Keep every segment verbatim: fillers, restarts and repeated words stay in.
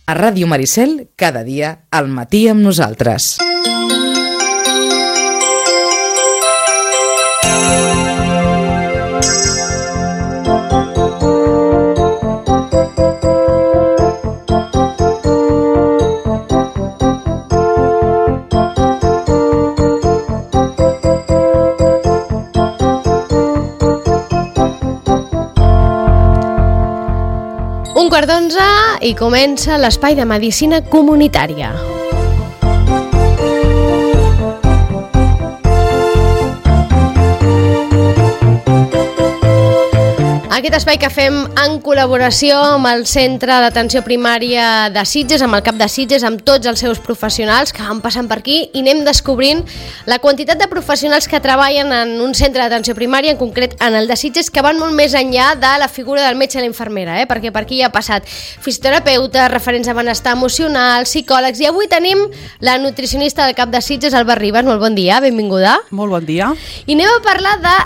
A Ràdio Maricel, cada dia, al matí amb nosaltres. Un quart d'onze i comença l'espai de medicina comunitària. Aquest espai que fem en col·laboració amb el Centre d'Atenció Primària de Sitges, amb el cap de Sitges, amb tots els seus professionals que van passant per aquí i anem descobrint la quantitat de professionals que treballen en un centre d'atenció primària, en concret en el de Sitges, que van molt més enllà de la figura del metge i la infermera, eh? Perquè per aquí ha passat fisioterapeutes, referents de benestar emocional, psicòlegs, i avui tenim la nutricionista del cap de Sitges, Alba Ribas. Molt bon dia, benvinguda. Molt bon dia. I anem a parlar de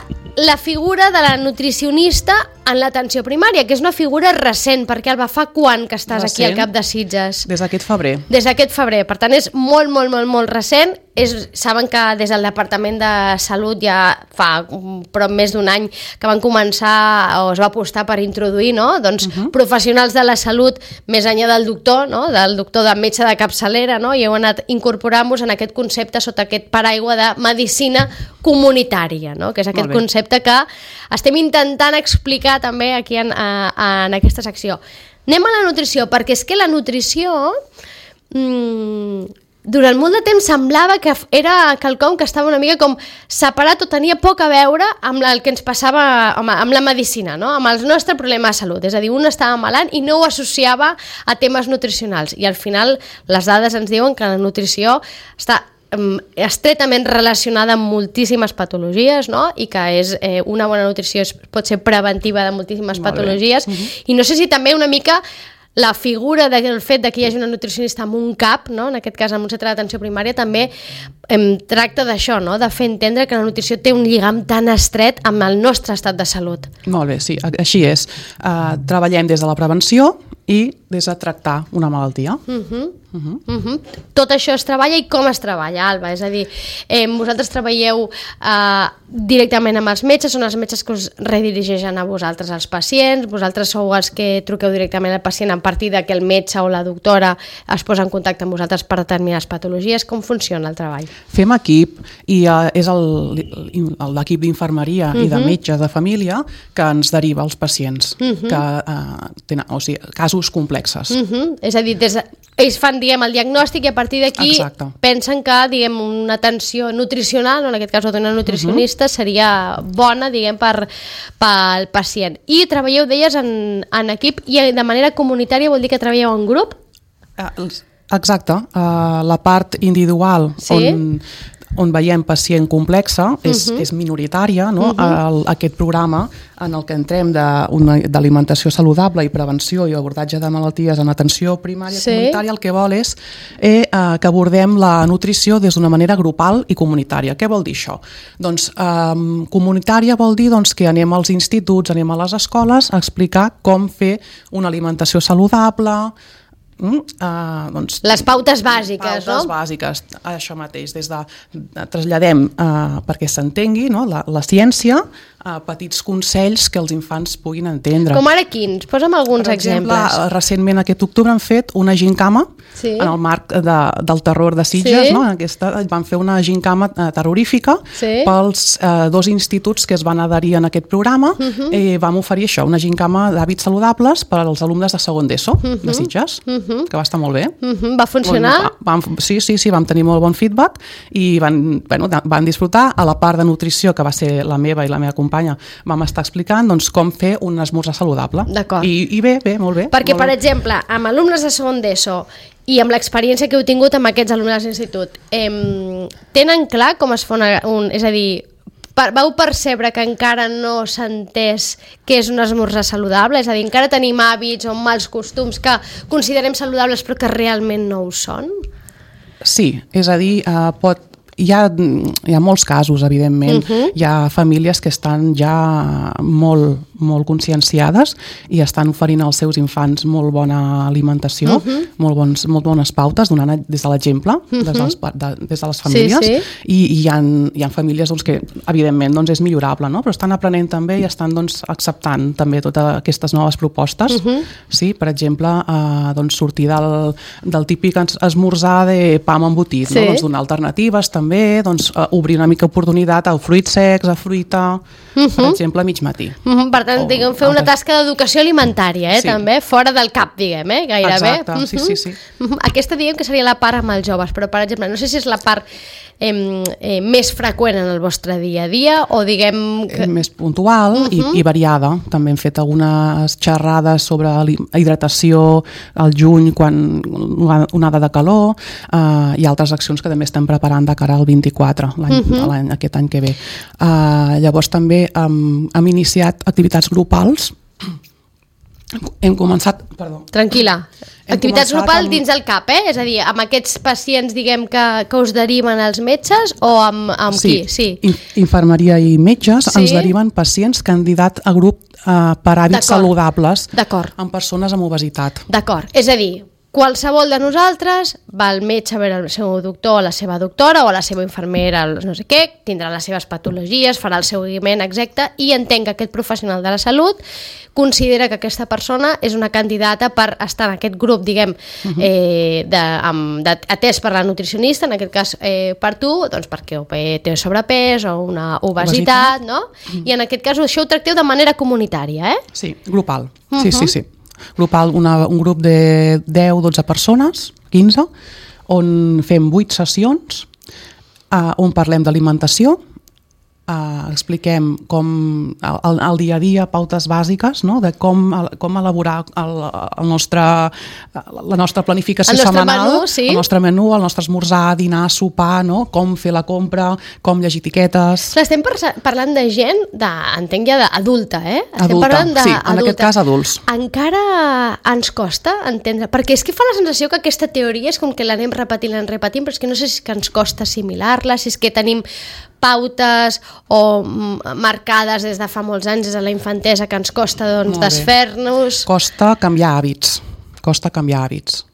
la figura de la nutricionista en l'atenció primària, que és una figura recent, perquè Alba, fa quan que estàs recent, aquí al cap de Sitges? Des d'aquest febrer. Des d'aquest febrer, per tant és molt, molt, molt, molt recent. És, saben que des del Departament de Salut ja fa prop més d'un any que van començar, o es va apostar per introduir, no? Doncs uh -huh. professionals de la salut més enllà del doctor, no? Del doctor de metge de capçalera, no? I heu anat incorporant-vos en aquest concepte sota aquest paraigua de medicina comunitària, no? Que és aquest concepte que estem intentant explicar també aquí en, a, en aquesta secció. Anem a la nutrició, perquè és que la nutrició mmm, durant molt de temps semblava que era quelcom que estava una mica com separat o tenia poc a veure amb el que ens passava amb, amb la medicina, no? Amb el nostre problema de salut. És a dir, un estava malant i no ho associava a temes nutricionals. I al final les dades ens diuen que la nutrició està estretament relacionada amb moltíssimes patologies, no? I que és, eh, una bona nutrició és, pot ser preventiva de moltíssimes patologies. Uh -huh. I no sé si també una mica la figura del fet de que hi hagi una nutricionista en un cap, no? En aquest cas en un centre d'atenció primària, també em tracta d'això, no? De fer entendre que la nutrició té un lligam tan estret amb el nostre estat de salut. Molt bé, sí, així és. Uh, treballem des de la prevenció i des de tractar una malaltia. Uh -huh. Uh -huh. Uh -huh. Tot això es treballa, i com es treballa, Alba? És a dir, eh, vosaltres treballeu eh, directament amb els metges, són els metges que us redirigeixen a vosaltres els pacients, vosaltres sou els que truqueu directament al pacient a partir de que el metge o la doctora es posa en contacte amb vosaltres per determinades patologies. Com funciona el treball? Fem equip, i uh, és l'equip d'infermeria uh -huh. i de metges de família que ens deriva als pacients uh -huh. que uh, tenen, o sigui, casos complexes. Uh -huh. És a dir, des de, ells fan, diguem, el diagnòstic i a partir d'aquí pensen que, diguem, una atenció nutricional, en aquest cas d'una nutricionista, uh -huh. seria bona, diguem, per pel pacient. I treballeu, deies, en, en equip, i de manera comunitària vol dir que treballeu en grup? Uh, exacte. Uh, la part individual, sí? on... on veiem pacient complexa, és, uh -huh. és minoritària, no? Uh -huh. el, aquest programa en el que entrem d'alimentació saludable i prevenció i abordatge de malalties en atenció primària sí. comunitària, el que vol és eh, que abordem la nutrició des d'una manera grupal i comunitària. Què vol dir això? Doncs eh, comunitària vol dir doncs, que anem als instituts, anem a les escoles a explicar com fer una alimentació saludable. Mm, uh, doncs, les pautes bàsiques, pautes no? Pautes bàsiques, això mateix, des de, de traslladem uh, perquè s'entengui, no? la, la ciència, uh, petits consells que els infants puguin entendre. Com ara quins? Posa'm alguns per exemple, exemples. Recentment aquest octubre han fet una gincama sí. en el marc de, del terror de Sitges, sí. no? En aquesta, van fer una gincama uh, terrorífica sí. pels uh, dos instituts que es van adherir en aquest programa uh -huh. i vam oferir això, una gincama d'hàbits saludables per als alumnes de segon d'ESO uh -huh. de Sitges. Uh -huh. que va estar molt bé. Uh-huh. Va funcionar? Vam, sí, sí, sí, vam tenir molt bon feedback i van, bueno, van disfrutar. A la part de nutrició, que va ser la meva i la meva companya, vam estar explicant doncs, com fer un esmorzar saludable. D'acord. I, I bé, bé, molt bé. Perquè, molt per bé. exemple, amb alumnes de segon d'ESO i amb l'experiència que heu tingut amb aquests alumnes d'institut, eh, tenen clar com es fa una, un... És a dir, vau percebre que encara no s'ha entès què és un esmorzar saludable? És a dir, encara tenim hàbits o mals costums que considerem saludables però que realment no ho són? Sí, és a dir, uh, pot, hi, ha, hi ha molts casos, evidentment. Uh-huh. Hi ha famílies que estan ja molt, molt conscienciades i estan oferint als seus infants molt bona alimentació, uh -huh. molt, bons, molt bones pautes, donant des de l'exemple, uh -huh. des, dels, de, des de les famílies, sí, sí. i, i hi, ha, hi ha famílies doncs, que, evidentment, doncs, és millorable, no? Però estan aprenent també i estan doncs, acceptant també totes aquestes noves propostes. Uh -huh. Sí, per exemple, eh, doncs, sortir del, del típic esmorzar de pa amb embotit, sí. no? Doncs, donar alternatives també, doncs, eh, obrir una mica oportunitat a fruits secs, a fruita, uh -huh. per exemple, a mig matí. Uh -huh. Per tant, diguem, fer una tasca d'educació alimentària, eh, sí. també, fora del cap, diguem, eh, gairebé. Exacte, uh -huh. sí, sí, sí. Uh -huh. Aquesta diguem que seria la part amb els joves, però, per exemple, no sé si és la part eh, eh, més freqüent en el vostre dia a dia o, diguem... Que... Més puntual uh -huh. i, i variada. També hem fet algunes xerrades sobre hidratació al juny, quan una onada de calor, eh, i altres accions que també estem preparant de cara al vint-i-quatre, l'any, uh -huh. l'any, aquest any que ve. Eh, llavors també um, hem iniciat activitats grupals. Hem començat... Perdó. Tranquil·la. Hem activitats grupals amb... dins el cap, eh? És a dir, amb aquests pacients, diguem, que, que us deriven els metges o amb, amb sí. qui? Sí, In infermeria i metges sí. ens deriven pacients candidat a grup eh, per hàbits saludables amb persones amb obesitat. D'acord. És a dir, qualsevol de nosaltres va al metge a veure el seu doctor o la seva doctora o la seva infermera, no sé què, tindrà les seves patologies, farà el seguiment exacte i entenc que aquest professional de la salut considera que aquesta persona és una candidata per estar en aquest grup, diguem, uh-huh. eh, de, amb, de, atès per la nutricionista, en aquest cas eh, per tu, doncs perquè té sobrepès o una obesitat, obesitat. no? Uh-huh. I en aquest cas això ho tracteu de manera comunitària, eh? Sí, grupal, uh-huh. sí, sí, sí. Grupal, una, un grup de deu a dotze persones, quinze, on fem vuit sessions, eh, on parlem d'alimentació, eh, expliquem com el, el dia a dia, pautes bàsiques, no? De com, com elaborar el, el nostre, la nostra planificació el nostre setmanal, menú, sí. el nostre menú, el nostre esmorzar, dinar, sopar, no? Com fer la compra, com llegir etiquetes... Estem parlant de gent, de, entenc ja d'adulta, eh? Estem adulta, parlant de sí, en adulta. aquest cas adults. Encara ens costa entendre, perquè és que fa la sensació que aquesta teoria és com que l'anem repetint, l'anem repetint, però és que no sé si és que ens costa assimilar-la, si és que tenim pautes o marcades des de fa molts anys, des de la infantesa, que ens costa doncs, desfer-nos... Costa canviar hàbits, costa canviar hàbits.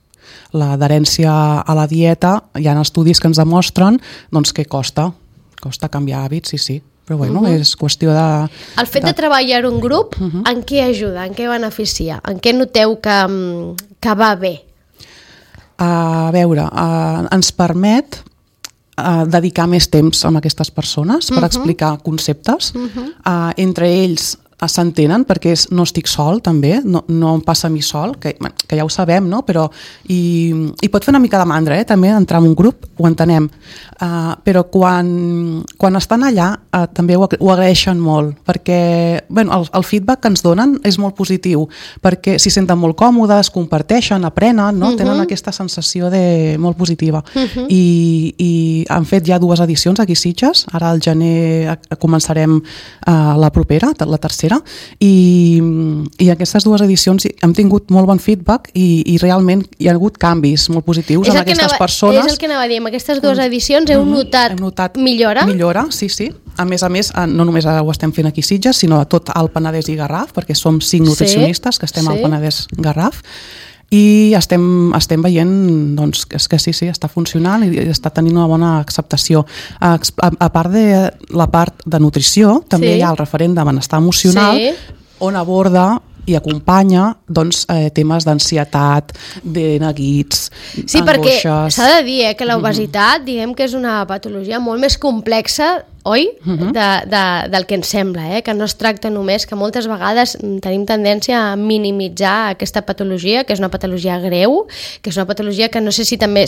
L'adherència a la dieta, hi ha estudis que ens demostren doncs, que costa, costa canviar hàbits, sí, sí. Però bueno, uh-huh. és qüestió de... El fet de, de treballar un grup, uh-huh. en què ajuda, en què beneficia? En què noteu que, que va bé? A veure, uh, ens permet Uh, dedicar més temps a aquestes persones per uh-huh. explicar conceptes. Uh-huh. Uh, entre ells uh, s'entenen perquè és, no estic sol també, no, no em passa a mi sol, que, que ja ho sabem, no? Però i, i pot fer una mica de mandra, eh? També entrar en un grup, ho entenem. Uh, però quan, quan estan allà uh, també ho, ho agraeixen molt, perquè bueno, el, el feedback que ens donen és molt positiu, perquè s'hi senten molt còmodes, comparteixen, aprenen, no? Uh-huh. Tenen aquesta sensació de, molt positiva. Uh-huh. I, i han fet ja dues edicions aquí a Sitges, ara al gener començarem uh, la propera, la tercera, i, i aquestes dues edicions hem tingut molt bon feedback i, i realment hi ha hagut canvis molt positius en aquestes anava, persones. És el que anava a dir, amb aquestes dues edicions heu notat, hem notat millora? Millora, sí, sí. A més a més, no només ho estem fent aquí a Sitges, sinó a tot el Penedès i Garraf, perquè som cinc nutricionistes sí, que estem sí. al Penedès Garraf, i estem, estem veient doncs, que, que sí, sí, està funcionant i està tenint una bona acceptació. A, a, a part de la part de nutrició, també sí. hi ha el referent de benestar emocional, sí. on aborda i acompanya doncs, eh, temes d'ansietat, de neguits, sí, angoixes... Sí, perquè s'ha de dir eh, que l'obesitat, mm-hmm. diguem que és una patologia molt més complexa, oi? Mm-hmm. de, de, del que ens sembla, eh? Que no es tracta només, que moltes vegades tenim tendència a minimitzar aquesta patologia, que és una patologia greu, que és una patologia que no sé si també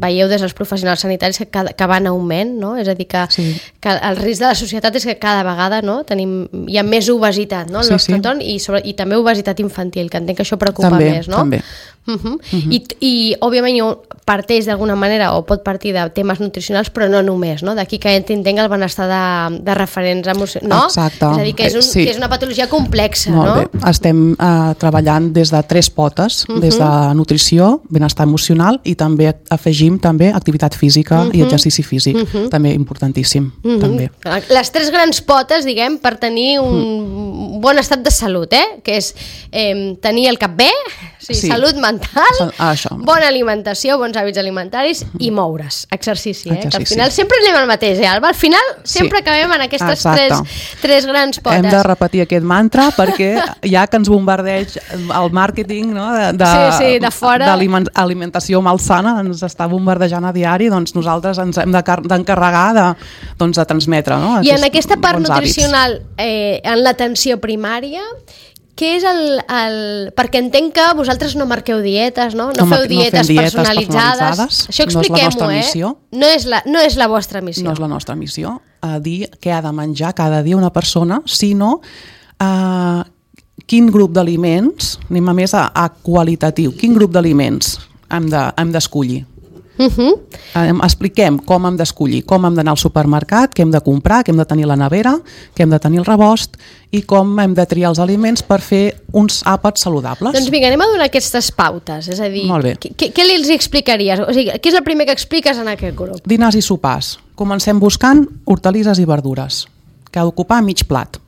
veieu des dels professionals sanitaris que, cada, que va en augment, no? És a dir, que, sí. que el risc de la societat és que cada vegada no? Tenim, hi ha més obesitat no? al sí, nostre sí. entorn i, sobre, i també obesitat infantil, que entenc que això preocupa també, més, no? També. Uh -huh. Uh -huh. I, I, òbviament, parteix d'alguna manera o pot partir de temes nutricionals, però no només, no? D'aquí que entenc el benestar de, de referents emocionals, no? Exacte. És a dir, que és, un, sí. que és una patologia complexa, Molt no? bé. Estem uh, treballant des de tres potes, uh -huh. des de nutrició, benestar emocional i també afegim també activitat física uh -huh. i exercici físic, uh -huh. també importantíssim. Uh -huh. també. Les tres grans potes, diguem, per tenir un uh -huh. bon estat de salut, eh? Que és eh, tenir el cap bé, sí, sí. salut mental, ah, això. bona alimentació, bons hàbits alimentaris i moure's, exercici, eh? exercici. Que al final sempre anem al mateix, eh, Alba? Al final sempre sí. acabem en aquestes tres, tres grans potes. Hem de repetir aquest mantra perquè ja que ens bombardeig el màrqueting, no, de, de, sí, sí, de fora d'alimentació malsana, ens està bombardejant a diari, doncs nosaltres ens hem d'encarregar de, doncs, de transmetre, no, I en aquesta part nutricional, eh, en l'atenció primària, què és el, el... Perquè entenc que vosaltres no marqueu dietes, no? No, no feu dietes, no dietes personalitzades. personalitzades. Això expliquem-ho, no eh? No és, la, no és la vostra missió. No és la nostra missió, a dir què ha de menjar cada dia una persona, sinó uh, quin grup d'aliments, anem a més a, a qualitatiu, quin grup d'aliments hem de, hem d'escollir. Uh -huh. eh, expliquem com hem d'escollir, com hem d'anar al supermercat, què hem de comprar, què hem de tenir a la nevera, què hem de tenir al rebost i com hem de triar els aliments per fer uns àpats saludables. Doncs vinga, anem a donar aquestes pautes, és a dir, què, què els explicaries? O sigui, què és el primer que expliques en aquest grup? Dinars i sopars. Comencem buscant hortalisses i verdures, que ha d'ocupar mig plat.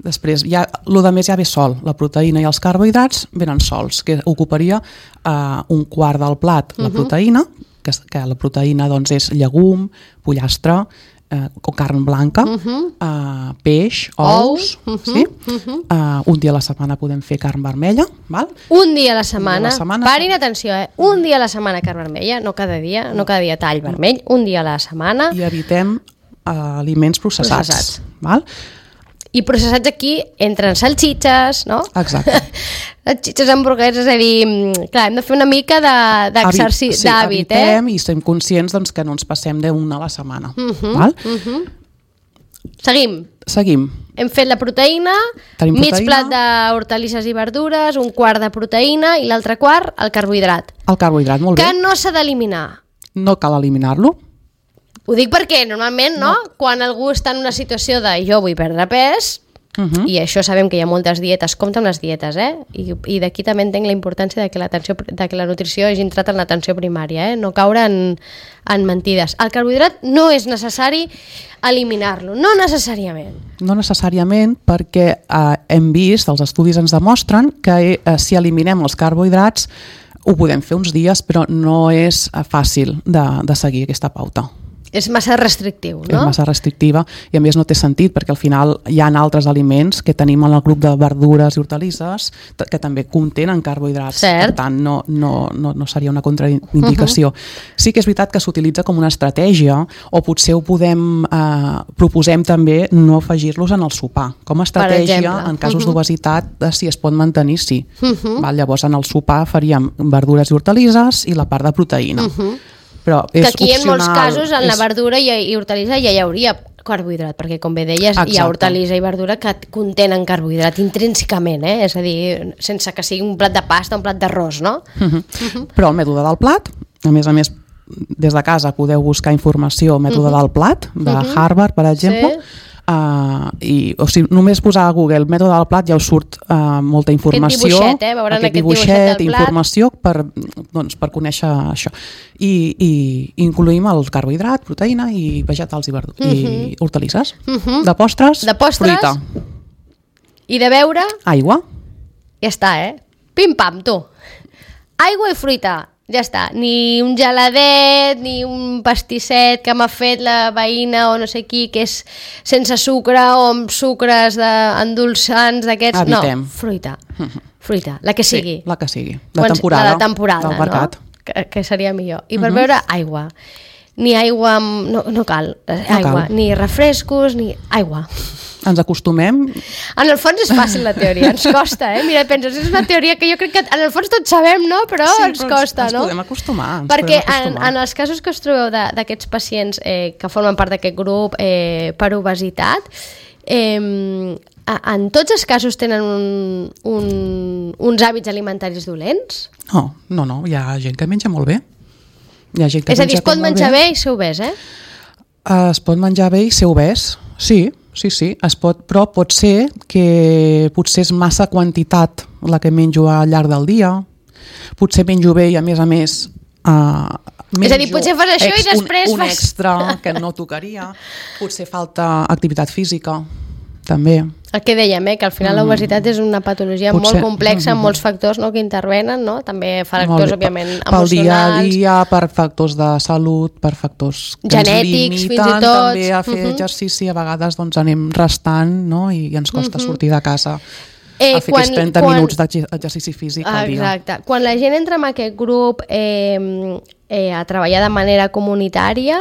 Després, ja, el de més ja ve sol, la proteïna i els carbohidrats venen sols, que ocuparia uh, un quart del plat la proteïna, que, que la proteïna doncs, és llegum, pollastre, uh, o carn blanca, uh -huh. uh, peix, ous, uh -huh. sí? uh -huh. uh, un dia a la setmana podem fer carn vermella. Val? Un dia a la setmana, dia a la setmana parin atenció, eh? un dia a la setmana carn vermella, no cada dia, no cada dia tall vermell, un dia a la setmana. I evitem uh, aliments processats. processats. Val? I processats aquí entren salxitxes, no? Exacte. Salxitxes, hamburgueses, és a dir, clar, hem de fer una mica d'exercici, de, sí, d'hàbit, eh? evitem i estem conscients doncs, que no ens passem d'una a la setmana. Uh -huh, val? Uh -huh. Seguim. Seguim. Hem fet la proteïna, Tenim mig proteïna. plat d'hortalisses i verdures, un quart de proteïna i l'altre quart, el carbohidrat. El carbohidrat, molt bé. Que no s'ha d'eliminar. No cal eliminar-lo. Ho dic perquè normalment, no? no? Quan algú està en una situació de jo vull perdre pes, uh -huh. i això sabem que hi ha moltes dietes, compta amb les dietes, eh? I, i d'aquí també entenc la importància de que, de que la nutrició hagi entrat en l'atenció primària, eh? No caure en, en mentides. El carbohidrat no és necessari eliminar-lo, no necessàriament. No necessàriament, perquè eh, hem vist, els estudis ens demostren que eh, si eliminem els carbohidrats ho podem fer uns dies, però no és eh, fàcil de, de seguir aquesta pauta. És massa restrictiu, no? És massa restrictiva i a més no té sentit perquè al final hi ha altres aliments que tenim en el grup de verdures i hortalisses que també contenen carbohidrats. Cert. Per tant, no, no, no, no seria una contraindicació. Uh-huh. Sí que és veritat que s'utilitza com una estratègia o potser ho podem, eh, proposem també no afegir-los en el sopar. Com a estratègia, en casos uh-huh. d'obesitat, si es pot mantenir, sí. Uh-huh. Val? Llavors, en el sopar faríem verdures i hortalisses i la part de proteïna. Uh-huh. Però és que aquí opcional, en molts casos en és... la verdura i, i hortalissa ja hi hauria carbohidrat, perquè com bé deies Exacte. Hi ha hortalissa i verdura que contenen carbohidrat intrínsecament, eh? És a dir, sense que sigui un plat de pasta o un plat d'arròs, no? Uh -huh. Uh -huh. Però el mètode del plat, a més a més des de casa podeu buscar informació mètode uh -huh. del plat, de uh -huh. Harvard per exemple, sí. Uh, i o sigui, només posar a Google el mètode del plat ja us surt uh, molta informació, aquest dibuixet, eh? Veuran aquest, aquest dibuixet, dibuixet del plat. informació per, doncs, per conèixer això i, i incluïm el carbohidrat, proteïna i vegetals i, uh -huh. i hortalisses. Uh -huh. De postres, de postres fruita i de beure aigua. Ja està, eh? Pim pam, tu, aigua i fruita. Ja està, ni un geladet, ni un pastisset que m'ha fet la veïna o no sé qui, que és sense sucre o amb sucres de, endolçants d'aquests. Evitem. No, fruita, fruita, la que sigui. Sí, la que sigui, de temporada. La de temporada, no? Que, que seria millor. I per uh-huh. beure, aigua. Ni aigua, no, no cal, aigua, no cal. Ni refrescos, ni aigua. Ens acostumem. En el fons és fàcil la teoria, ens costa, eh? Mira, penses, és una teoria que jo crec que en el fons tots sabem, no? Però sí, ens però costa, ens, no? Ens podem acostumar. Ens Perquè podem acostumar. En, en els casos que us trobeu d'aquests pacients eh, que formen part d'aquest grup eh, per obesitat, Eh, en tots els casos tenen un, un, uns hàbits alimentaris dolents? No, no, no, hi ha gent que menja molt bé. Hi ha gent que és a dir, es pot menjar bé. bé i ser obès, eh? Es pot menjar bé i ser obès, sí, sí, sí, es pot, però pot ser que potser és massa quantitat la que menjo al llarg del dia, potser menjo bé i a més a més uh, és a dir, potser fas això ex, i després un, un fas... extra que no tocaria, potser falta activitat física, també. El que dèiem, eh, que al final mm. l'obesitat és una patologia potser, molt complexa, amb mm, molts factors, no, que intervenen, no? També factors, òbviament, emocionals. Pel dia a dia, per factors de salut, per factors que genètics, ens limiten, fins i tot. també a fer mm-hmm. exercici, a vegades doncs, anem restant, no? I, i ens costa mm-hmm. sortir de casa. Eh, a fer quan, trenta quan... minuts d'exercici físic al dia. Exacte. Quan la gent entra en aquest grup eh, eh, a treballar de manera comunitària,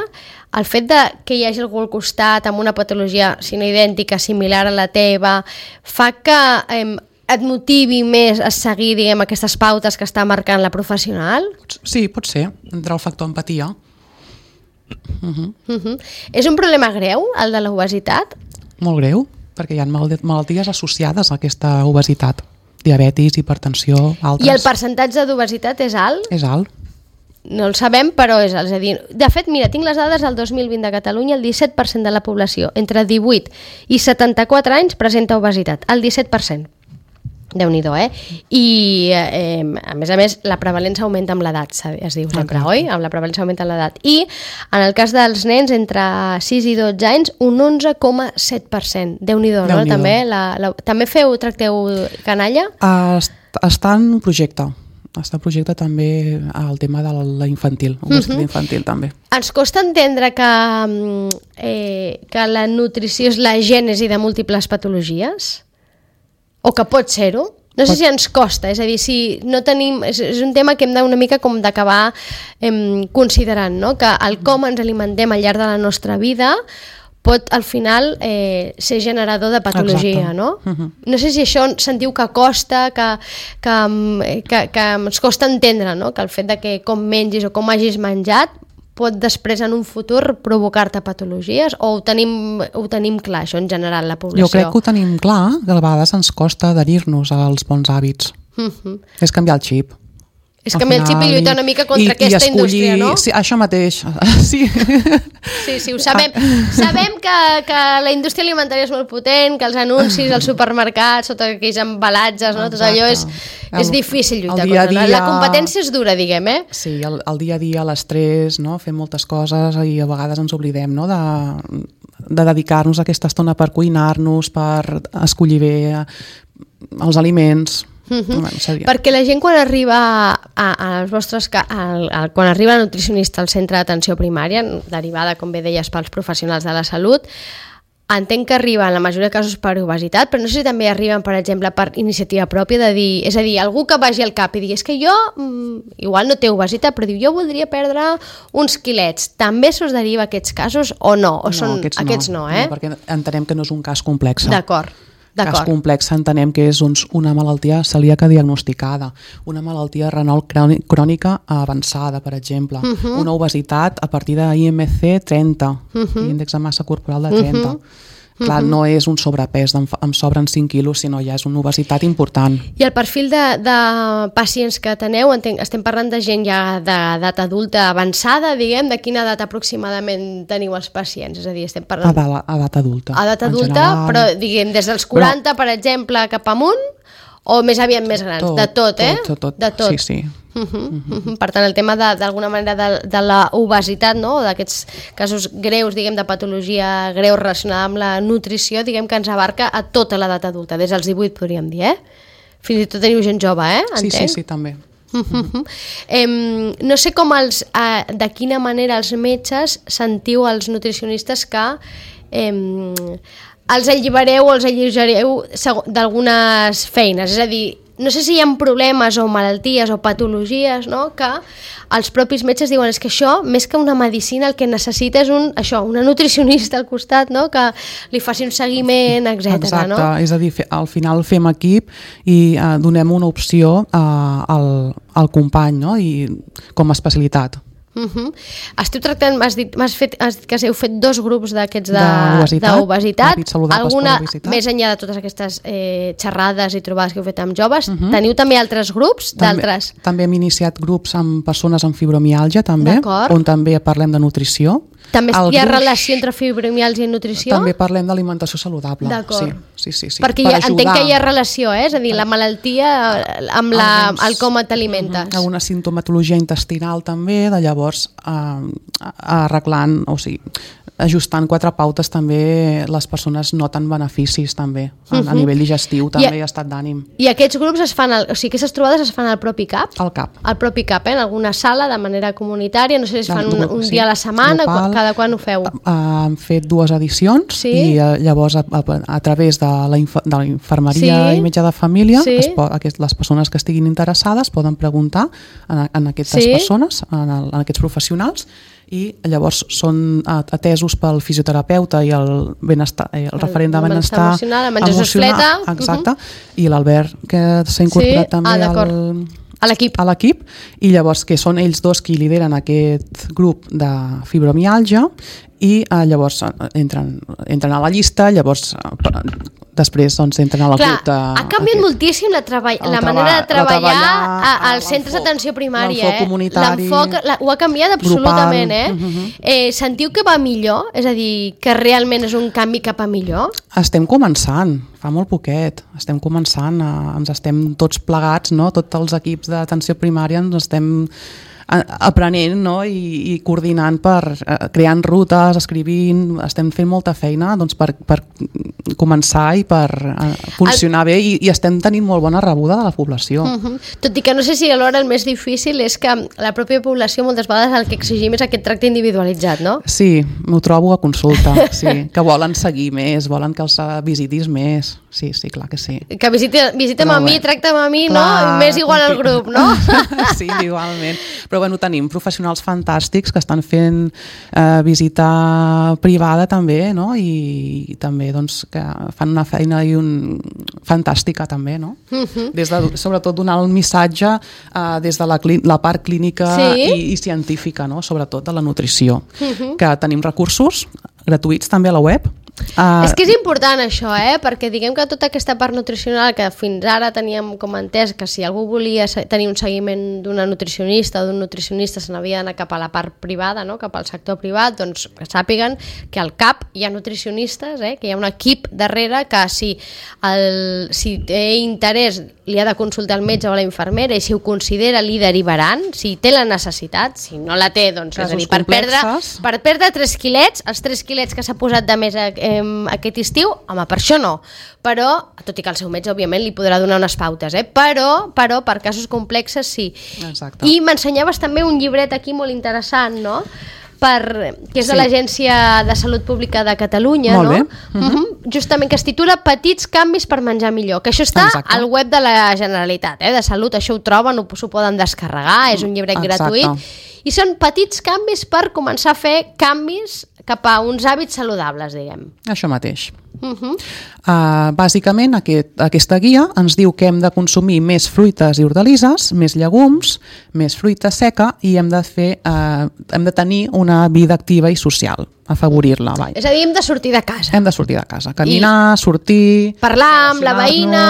el fet de que hi hagi algú al costat amb una patologia, si no idèntica, similar a la teva, fa que eh, et motivi més a seguir, diguem, aquestes pautes que està marcant la professional? Sí, pot ser. Entra el factor empatia. Uh-huh. Uh-huh. És un problema greu, el de l'obesitat? Molt greu, perquè hi ha malalties associades a aquesta obesitat. Diabetis, hipertensió, altres. I el percentatge d'obesitat és alt? És alt. No el sabem, però és alt. És a dir, de fet, mira, tinc les dades del dos mil vint de Catalunya, el disset per cent de la població entre divuit i setanta-quatre anys presenta obesitat, el disset per cent. Déu-n'hi-do, eh? I, eh, a més a més, la prevalença augmenta amb l'edat, es diu sempre, oi? Amb la prevalença augmenta amb l'edat. I, en el cas dels nens, entre sis i dotze anys, un onze coma set per cent. Déu-n'hi-do, no? També, la, la, també feu, tracteu canalla? Uh, està en un projecte. Està en projecte també el tema de la infantil, obesitat uh-huh. infantil també. Ens costa entendre que, eh, que la nutrició és la gènesi de múltiples patologies? O que pot ser-ho? No sé si ens costa, és a dir, si no tenim... És, és un tema que hem d'una mica com d'acabar eh, considerant, no? Que el com ens alimentem al llarg de la nostra vida pot al final eh, ser generador de patologia, exacte. No? Uh-huh. No sé si això sentiu que costa, que, que, que, que ens costa entendre, no? Que el fet de que com mengis o com hagis menjat pot després en un futur provocar-te patologies, o ho tenim, ho tenim clar, això en general, la població? Jo crec que ho tenim clar, que a vegades ens costa adherir-nos als bons hàbits. Uh-huh. És canviar el xip. És canviar el xip i lluitar una mica contra i, aquesta i escollir, indústria, no? Sí, això mateix. Sí, sí, sí ho sabem. Sabem que, que la indústria alimentària és molt potent, que els anuncis als supermercats, tots aquells embalatges, no? Tot allò és, és difícil lluitar contra. Dia... La competència és dura, diguem, eh? Sí, el, el dia a dia, l'estrès, no? Fem moltes coses i a vegades ens oblidem, no? De, de dedicar-nos a aquesta estona per cuinar-nos, per escollir bé els aliments. Uh-huh. Bueno, perquè la gent quan arriba a, a als vostres, a, a, quan arriba la nutricionista al centre d'atenció primària, derivada, com bé deies, pels professionals de la salut, entenc que arriben en la majoria de casos per obesitat, però no sé si també arriben, per exemple, per iniciativa pròpia, de dir, és a dir, algú que vagi al cap i digui, és que jo, mm, igual no té obesitat, però diu, jo voldria perdre uns quilets. També s'us deriva aquests casos o no? O no, són, aquests, aquests no, no, eh? No, perquè entenem que no és un cas complex. D'acord. Cas complex entenem que és doncs, una malaltia celíaca diagnosticada, una malaltia renal crònica avançada, per exemple, uh-huh. una obesitat a partir de I M C trenta, uh-huh. índex de massa corporal de trenta. Uh-huh. Clar, no és un sobrepès, em sobren cinc quilos, sinó ja és una obesitat important. I el perfil de, de pacients que teneu, entenc, estem parlant de gent ja d'edat adulta avançada, diguem, de quina edat aproximadament teniu els pacients? És a dir, estem parlant... A edat adulta. A edat adulta, general... però diguem, des dels quaranta, però... per exemple, cap amunt, o més aviat més grans? Tot, de tot, eh? Tot, tot, de tot. Sí, sí. Uh-huh, uh-huh. Per tant, el tema d'alguna manera de, de la obesitat, no? D'aquests casos greus, diguem, de patologia greu relacionada amb la nutrició, diguem que ens abarca a tota l'edat adulta, des dels divuit podríem dir, eh? Fins i tot teniu gent jove, eh? Entenc? Sí, sí, sí, també. Uh-huh. Em, no sé com els, eh, de quina manera els metges sentiu els nutricionistes que em, els allibereu o els alleugereu d'algunes feines, és a dir, no sé si hi ha problemes o malalties o patologies, no?, que els propis metges diuen és que això, més que una medicina, el que necessita és un, això, una nutricionista al costat, no?, que li faci un seguiment, etcètera. Exacte, no? És a dir, al final fem equip i uh, donem una opció uh, al, al company, no?, i com a especialitat. Uh-huh. Esteu tractant, m'has dit, m'has fet, has dit que heu fet dos grups d'aquests d'obesitat, d'obesitat. Alguna, més enllà de totes aquestes eh, xerrades i trobades que heu fet amb joves, uh-huh. teniu també altres grups? d'altres? També, també hem iniciat grups amb persones amb fibromiàlgia, també, on també parlem de nutrició. També hi ha relació entre fibromiàlgia i nutrició? També parlem d'alimentació saludable. D'acord. Sí, sí, sí, sí. Perquè per entenc que hi ha relació, eh? És a dir, la malaltia amb la, el com t'alimentes. Uh-huh. Una sintomatologia intestinal també, de llavors eh, arreglant, o sigui, ajustant quatre pautes també les persones noten beneficis també, a, uh-huh. a nivell digestiu també i a estat d'ànim. I aquests grups es fan, al, o sigui, aquestes trobades es fan al propi CAP? Al CAP. Al propi CAP, eh? En alguna sala de manera comunitària, no sé si es fan un, un sí, dia a la setmana, local, cada quan ho feu? Hem fet dues edicions sí. i llavors a, a, a través de la, inf de la infermeria sí. i metge de família sí. es pot, aquest, les persones que estiguin interessades poden preguntar en, en aquestes sí. persones, en, el, en aquests professionals, i llavors són atesos pel fisioterapeuta i el, benestar, el, el referent de benestar emocional, el Jesús Fleta, exacte, uh-huh. i l'Albert, que s'ha incorporat sí? també ah, al, a l'equip. A l'equip, i llavors que són ells dos qui lideren aquest grup de fibromiàlgia i eh, llavors entren, entren a la llista, llavors eh, després doncs, entren a la Clar, grup de... Ha canviat aquest, moltíssim la, treball, la manera de treballar, treballar als centres d'atenció primària. L'enfoc comunitari. L'enfoc ho ha canviat absolutament. Grupal, eh? uh-huh. Eh, sentiu que va millor? És a dir, que realment és un canvi cap a millor? Estem començant, fa molt poquet. Estem començant, a, ens estem tots plegats, no? Tots els equips d'atenció primària ens estem aprenent, no? I, i coordinant per eh, creant rutes, escrivint, estem fent molta feina doncs, per, per començar i per eh, funcionar el... bé i, i estem tenint molt bona rebuda de la població. Uh-huh. Tot i que no sé si alhora el més difícil és que la pròpia població moltes vegades el que exigim és aquest tracte individualitzat, no? Sí, m'ho trobo a consulta, sí, que volen seguir més, volen que els visitis més, sí, sí, clar que sí. Que visiti, visita'm a mi, tracta'm a mi, clar, no? Més igual al grup, no? Sí, igualment. Però bueno, tenim professionals fantàstics que estan fent eh, visita privada també, no? I, i també doncs, que fan una feina i un... fantàstica també, no? Uh-huh. Des de, sobretot donar el missatge eh, des de la, la part clínica sí? i, i científica, no? Sobretot de la nutrició. Uh-huh. Que tenim recursos gratuïts també a la web. Uh, és que és important això, eh? Perquè diguem que tota aquesta part nutricional que fins ara teníem com entès que si algú volia tenir un seguiment d'una nutricionista o d'un nutricionista se n'havia d'anar cap a la part privada, no? Cap al sector privat, doncs sàpiguen que al CAP hi ha nutricionistes, eh? Que hi ha un equip darrere que si, el, si té interès li ha de consultar el metge o la infermera i si ho considera li derivaran, si té la necessitat, si no la té, doncs és a dir, per perdre, per perdre tres quilets, els tres quilets que s'ha posat de més a, eh, aquest estiu, home, per això no, però, tot i que el seu metge òbviament li podrà donar unes pautes, eh? però, però per casos complexes sí. Exacte. I m'ensenyaves també un llibret aquí molt interessant, no? Per, que és de sí. l'Agència de Salut Pública de Catalunya, molt no? Bé. Uh-huh. Uh-huh. Justament, que es titula Petits canvis per menjar millor, que això està Exacte. Al web de la Generalitat, eh? De Salut, això ho troben, s'ho poden descarregar, és un llibret Exacte. Gratuït, i són petits canvis per començar a fer canvis cap a uns hàbits saludables, diguem. Això mateix. Uh-huh. Uh, bàsicament aquest, aquesta guia ens diu que hem de consumir més fruites i hortalisses, més llegums, més fruita seca i hem de fer, uh, hem de tenir una vida activa i social, afavorir-la. Vai. És a dir, hem de sortir de casa. Hem de sortir de casa, caminar, I sortir... Parlar amb la veïna,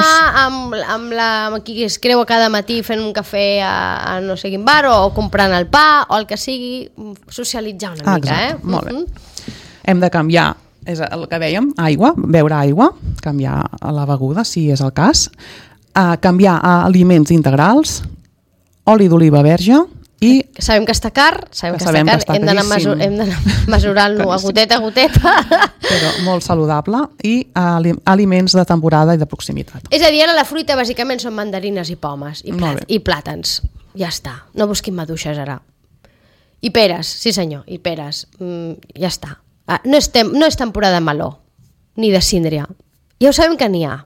amb, amb, la, amb qui es creu cada matí fent un cafè a, a no sé quin bar, o comprant el pa, o el que sigui, socialitzar una ah, mica. Exacte, eh? molt uh-huh. bé. Hem de canviar, és el que dèiem, aigua, beure aigua, canviar la beguda, si és el cas, uh, canviar a aliments integrals, oli d'oliva verge i... Sabem que està car, sabem que, que està car, que està hem d'anar mesur, mesurant-lo a goteta a goteta. Però molt saludable i uh, aliments de temporada i de proximitat. És a dir, ara la fruita bàsicament són mandarines i pomes i, plàt i plàtans. Ja està, no busquin maduixes ara. I peres, sí senyor, i peres, mm, ja està. Ah, no, és tem no és temporada de meló, ni de síndria. Ja ho sabem que n'hi ha.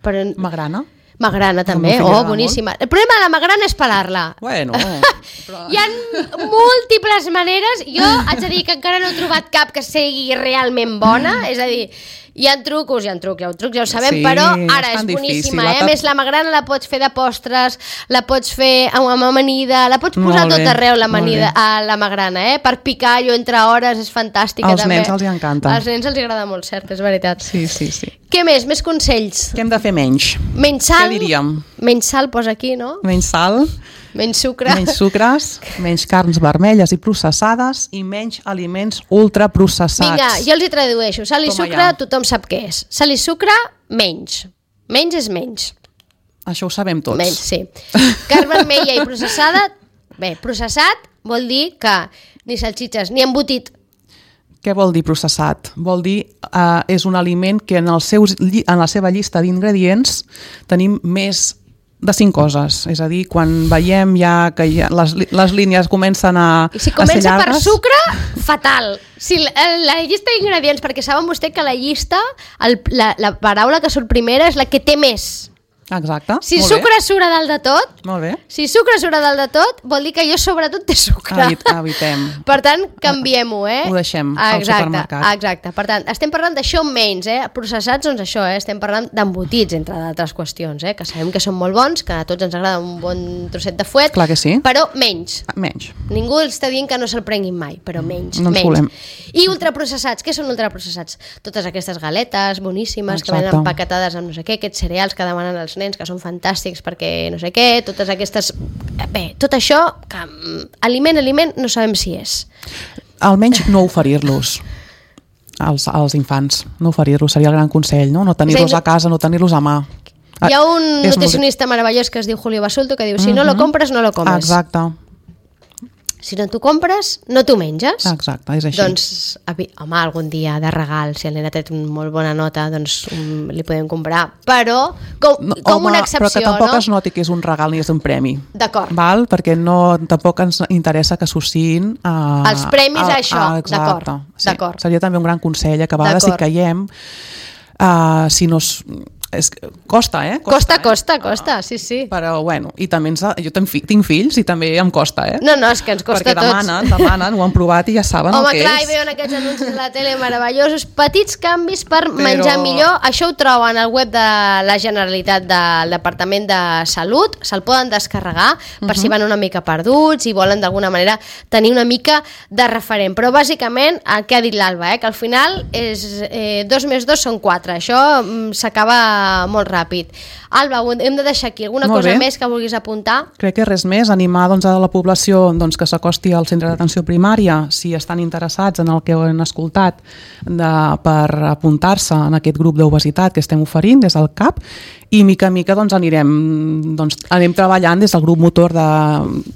Però... Magrana? Magrana també, oh, boníssima. Molt. El problema de la magrana és pelar-la. Bueno, però... Hi ha múltiples maneres. Jo haig de dir que encara no he trobat cap que sigui realment bona. És a dir, Hi ha trucos, hi ha trucs, hi ha trucs, ja ho sabem, Sí, però és ara és tan boníssima, difícil. eh? A més, la magrana la pots fer de postres, la pots fer amb amb amanida, la pots posar Molt tot bé, arreu, la molt amanida, bé. a la magrana, eh? Per picar allò entre hores, és fantàstica Als també. nens els hi encanta. Als nens els agrada molt, cert, és veritat. Sí, sí, sí. Què més? Més consells? Què hem de fer menys? Menys sal? Què diríem? Menys sal posa aquí, no? Menys sal, Menys sucre? menys sucres, menys carns vermelles i processades i menys aliments ultraprocessats. Vinga, jo els hi tradueixo. Sal i Toma sucre, ja. tothom sap què és. Sal i sucre, menys. Menys és menys. Això ho sabem tots. Menys, sí. Carn vermella i processada, bé, processat vol dir que ni salsitxes ni embotit. Què vol dir processat? Vol dir eh, és un aliment que en, els seus, lli- en la seva llista d'ingredients tenim més de cinc coses. És a dir, quan veiem ja que ja les, li- les línies comencen a, I si a ser comença per llargues... sucre, fatal. Si la, la llista d'ingredients, perquè saben vostè que la llista, el, la, la paraula que surt primera és la que té més. Exacte, Si molt sucre surt a dalt de tot, bé. Molt bé. si sucre surt a dalt de tot, vol dir que allò sobretot té sucre. Evit, evitem. Per tant, canviem-ho, eh? Ho deixem al exacte, supermercat. Exacte. Per tant, estem parlant d'això menys, eh? Processats, doncs això, eh? Estem parlant d'embotits, entre d'altres qüestions, eh? Que sabem que són molt bons, que a tots ens agrada un bon trosset de fuet, Clar que sí. però menys. Menys. Ningú està dient que no se'l prenguin mai, però menys. No ens menys. volem. I ultraprocessats, què són ultraprocessats? Totes aquestes galetes boníssimes Exacte. que venen empaquetades amb no sé què, aquests cereals que demanen els nens, que són fantàstics perquè no sé què, totes aquestes... Bé, tot això, que mm, aliment, aliment, no sabem si és. Almenys no oferir-los als, als infants. No oferir-los seria el gran consell, no? No tenir-los És a dir, a casa, no tenir-los a mà. Hi ha un És molt- nutricionista meravellós que es diu Julio Basulto que diu, si no lo compres, no lo comes. Exacte, Si no t'ho compres, no t'ho menges. exacte, és així. Doncs, avi- home, algun dia de regal, si el nen ha tret una molt bona nota, doncs um, li podem comprar. Però, com, No, com home, una excepció, però que tampoc no? es noti que és un regal ni és un premi. D'acord. Val? Perquè no, tampoc ens interessa que associïn a... Els premis a això, exacte. d'acord, Sí. d'acord. Seria també un gran consell, que a vegades si D'acord. caiem, uh, si no... Es, és, costa, eh? Costa, eh? costa, costa, sí, sí. Però, bueno, i també ens, jo tinc, fi- tinc fills i també em costa, eh? No, no, és que ens costa Perquè a tots. demanen, demanen, ho han provat i ja saben Home, el que clar, és. i veuen aquests anuncis a la tele meravellosos, petits canvis per Però- menjar millor. Això ho troben al web de la Generalitat del Departament de Salut, se'l poden descarregar per si van una mica perduts i volen d'alguna manera tenir una mica de referent. Però bàsicament el que ha dit l'Alba, eh, que al final és eh, dos més dos són quatre. Això mm, s'acaba molt ràpid. Alba, ho hem de deixar aquí. Alguna Molt cosa bé. més que vulguis apuntar? Crec que res més, animar doncs, a la població doncs, que s'acosti al centre d'atenció primària si estan interessats en el que han escoltat de, per apuntar-se en aquest grup d'obesitat que estem oferint des del C A P i mica en mica doncs, anirem, doncs, anem treballant des del grup motor de,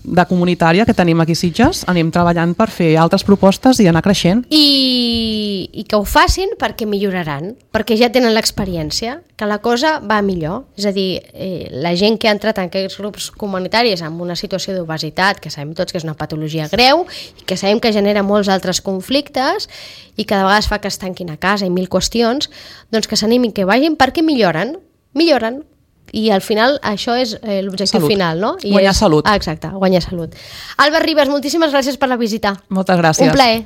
de comunitària que tenim aquí a Sitges, anem treballant per fer altres propostes i anar creixent. I, i que ho facin perquè milloraran, perquè ja tenen l'experiència, que la cosa va millor. És a dir, eh, la gent que ha entrat en aquests grups comunitaris amb una situació d'obesitat, que sabem tots que és una patologia greu i que sabem que genera molts altres conflictes i que de vegades fa que es tanquin a casa i mil qüestions, doncs que s'animin, que vagin perquè milloren, milloren. I al final això és eh, l'objectiu Salut. final, no? I Guanyar és... salut. Ah, exacte, guanyar salut. Alba Ribas, moltíssimes gràcies per la visita. Moltes gràcies. Un plaer.